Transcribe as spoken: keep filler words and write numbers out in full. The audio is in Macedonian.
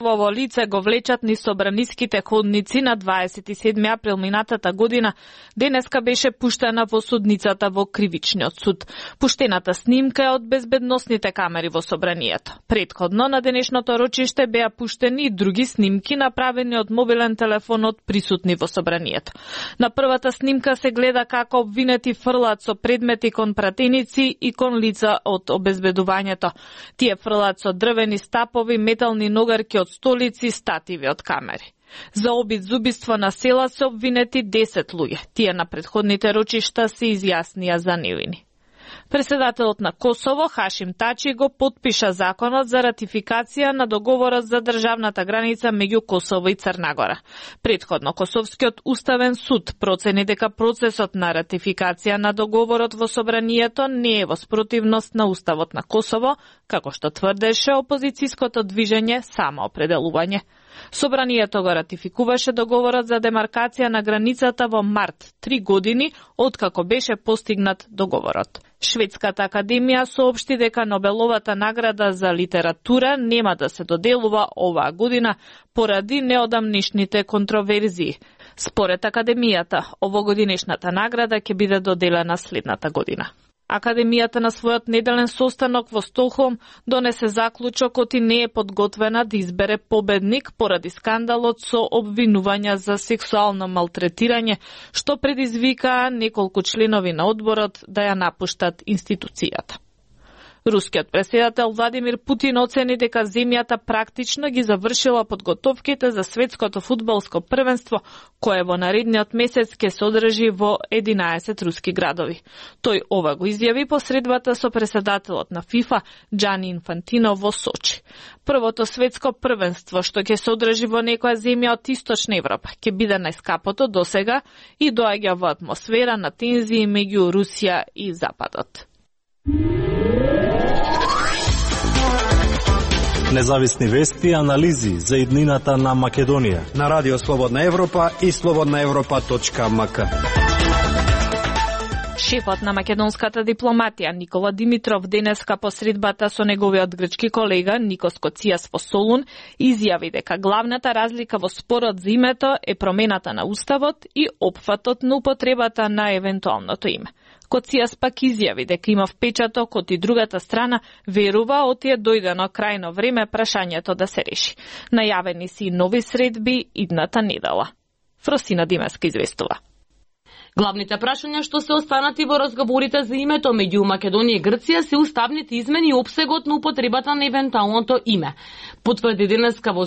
Во лице го влечат низ собраниските ходници на дваесет и седми април минатата година, денеска беше пуштена во судницата во Кривичниот суд. Пуштената снимка е од безбедносните камери во собранието. Претходно на денешното рочиште беа пуштени и други снимки направени од мобилен телефон од присутни во собранието. На првата снимка се гледа како обвинети фрлаат со предмети кон пратеници и кон лица од обезбедувањето. Тие фрлаат со дрвени стапови, метални ногарки од столици, стативи од камери. За обид за убиство на села се обвинети десет луѓе. Тие на претходните рочишта се изјаснија за невини. Председателот на Косово, Хашим Тачи, го потпиша законот за ратификација на договорот за државната граница меѓу Косово и Црна Гора. Претходно Косовскиот уставен суд процени дека процесот на ратификација на договорот во собранието не е во спротивност на уставот на Косово, како што тврдеше опозицијското движење Самоопределување. Собранието го ратификуваше договорот за демаркација на границата во март, три години откако беше постигнат договорот. Шведската академија соопшти дека Нобеловата награда за литература нема да се доделува оваа година поради неодамнишните контроверзии. Според академијата, овогодинешната награда ќе биде доделена следната година. Академијата на својот неделен состанок во Стокхолм донесе заклучокот и не е подготвена да избере победник поради скандалот со обвинувања за сексуално малтретирање, што предизвика неколку членови на одборот да ја напуштат институцијата. Рускиот претседател Владимир Путин оцени дека земјата практично ги завршила подготовките за светското фудбалско првенство, кое во наредниот месец ќе се одржи во единаесет руски градови. Тој ова го изјави по средбата со претседателот на ФИФА Џани Инфантино во Сочи. Првото светско првенство што ќе се одржи во некоја земја од Источна Европа ќе биде најскапото досега и доаѓа во атмосфера на тензии меѓу Русија и Западот. Независни вести и анализи за иднината на Македонија на Радио Слободна Европа и слободна европа точка ем ка. Шефот на македонската дипломатија Никола Димитров денеска по средбата со неговиот грчки колега Никос Коцијас во Солун изјави дека главната разлика во спорот за името е промената на уставот и опфатот на употребата на евентуалното име. Коцијас пак изјави дека има впечаток од и другата страна верува оти е дојдено крајно време прашањето да се реши. Најавени си нови средби идната недела. Фросина Димеска известува. Главните прашања што се останати во разговорите за името меѓу Македонија и Грција се уставните измени и опсегот на употребата на евентуалното име. Потврди денеска во